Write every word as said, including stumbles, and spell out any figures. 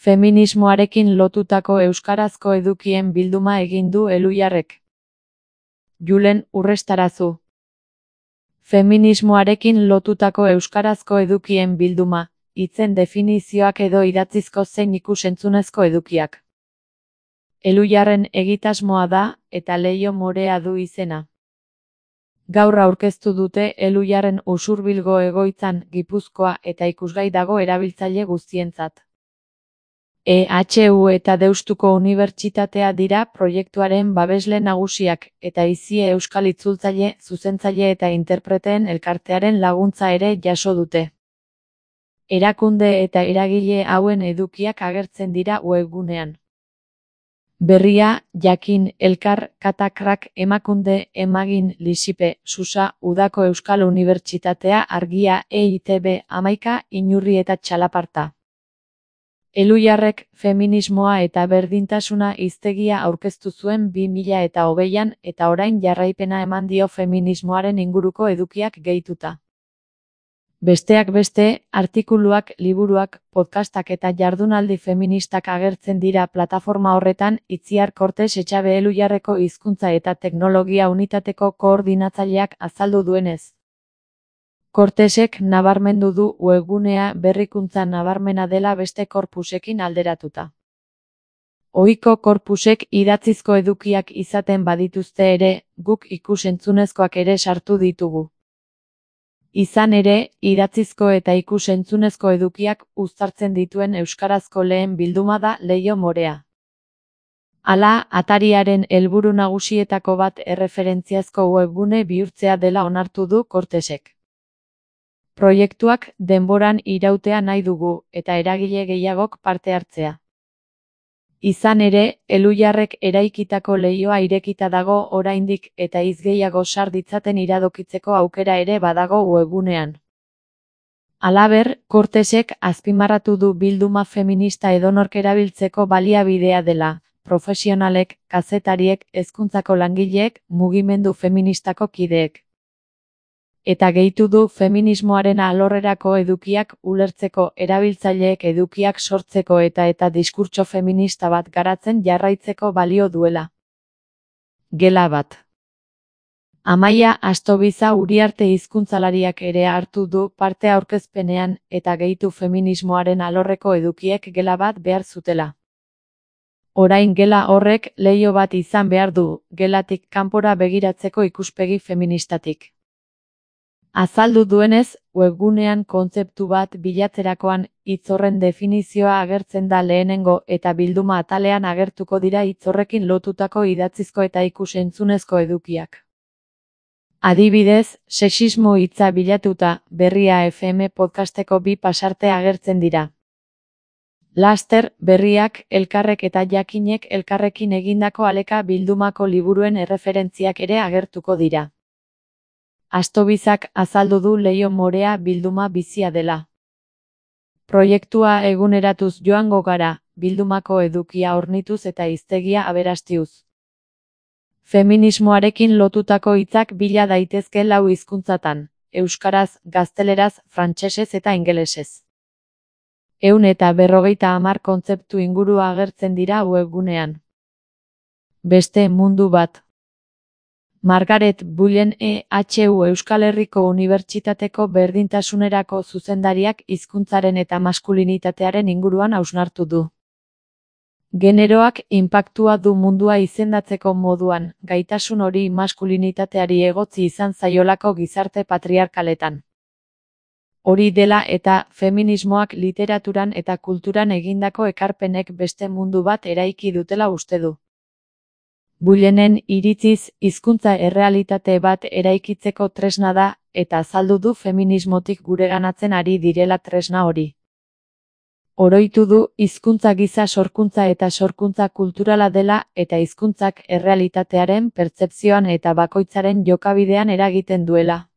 Feminismoarekin lotutako euskarazko edukien bilduma egin du Elhuyarrek. Julen Urrestarazu. Feminismoarekin lotutako euskarazko edukien bilduma, hitzen definizioak edo idatzizko zein ikus-entzunezko edukiak. Elhuyarren egitasmoa da, eta leiho morea du izena. Gaur aurkeztu dute Elhuyarren Usurbilgo egoitzan, Gipuzkoa eta ikusgai dago erabiltzaile guztientzat. E H U eta Deustuko Unibertsitatea dira proiektuaren babesle nagusiak, eta Izie Euskal Itzultzaile, Zuzentzaile eta Interpreteen Elkartearen laguntza ere jaso dute. Erakunde eta eragile hauen edukiak agertzen dira webgunean. Berria, Jakin, Elkar, Katakrak, Emakunde, Emagin, Lisipe, Susa, Udako Euskal Unibertsitatea, Argia, E I T B, Hamaika, Inurri eta Txalaparta. Elhuyarrek feminismoa eta berdintasuna hiztegia aurkeztu zuen bi mila eta hogeian eta orain jarraipena eman dio feminismoaren inguruko edukiak gehituta. Besteak beste, artikuluak, liburuak, podcastak eta jardunaldi feministak agertzen dira plataforma horretan, Itziar Kortes Etxabe Elhuyarreko hizkuntza eta teknologia unitateko koordinatzaileak azaldu duenez. Kortesek nabarmendu du webgunea berrikuntza nabarmena dela beste korpusekin alderatuta. Ohiko korpusek idatzizko edukiak izaten badituzte ere, guk ikus-entzunezkoak ere sartu ditugu. Izan ere, idatzizko eta ikus-entzunezko edukiak uztartzen dituen euskarazko lehen bilduma da Leiho morea. Hala, atariaren helburu nagusietako bat erreferentziazko webgune bihurtzea dela onartu du Kortesek. Proiektuak denboran irautea nahi dugu, eta eragile gehiagok parte hartzea. Izan ere, Elhuyarrek eraikitako leihoa irekita dago oraindik eta hitz gehiago sar ditzaten iradokitzeko aukera ere badago webgunean. Halaber, Kortesek azpimarratu du bilduma feminista edonork erabiltzeko baliabidea dela, profesionalek, kazetariek, hezkuntzako langileek, mugimendu feministako kideek. Eta gehitu du feminismoaren alorrerako edukiak ulertzeko erabiltzaileek edukiak sortzeko eta eta diskurtso feminista bat garatzen jarraitzeko balio duela. Gela bat. Amaia Astobiza Uriarte hizkuntzalariak ere hartu du parte aurkezpenean eta gehitu feminismoaren alorreko edukiek gela bat behar zutela. Orain gela horrek leiho bat izan behar du, gelatik kanpora begiratzeko ikuspegi feministatik. Azaldu duenez, webgunean kontzeptu bat bilatzerakoan hitz horren definizioa agertzen da lehenengo eta bilduma atalean agertuko dira hitz horrekin lotutako idatzizko eta ikus-entzunezko edukiak. Adibidez, sexismo hitza bilatuta, Berria F M podcasteko bi pasarte agertzen dira. Laster, Berriak, Elkarrek eta Jakinek elkarrekin egindako aleka bildumako liburuen erreferentziak ere agertuko dira. Astobizak azaldu du Leiho morea bilduma bizia dela. Proiektua eguneratuz joango gara, bildumako edukia hornituz eta hiztegia aberastiuz. Feminismoarekin lotutako hitzak bila daitezke lau hizkuntzatan, euskaraz, gazteleraz, frantsesez eta ingelesez. Ehun eta berrogeita hamar kontzeptu inguru agertzen dira webgunean. Beste mundu bat. Margaret Bullen E H U Euskal Herriko Unibertsitateko berdintasunerako zuzendariak hizkuntzaren eta maskulinitatearen inguruan hausnartu du. Generoak inpaktua du mundua izendatzeko moduan, gaitasun hori maskulinitateari egotzi izan zaiolako gizarte patriarkaletan. Hori dela eta feminismoak literaturan eta kulturan egindako ekarpenek beste mundu bat eraiki dutela uste du. Bullenen iritziz, hizkuntza errealitate bat eraikitzeko tresna da, eta azaldu du feminismotik gureganatzen ari direla tresna hori. Oroitu du hizkuntza giza sorkuntza eta sorkuntza kulturala dela eta hizkuntzak errealitatearen pertzepzioan eta bakoitzaren jokabidean eragiten duela.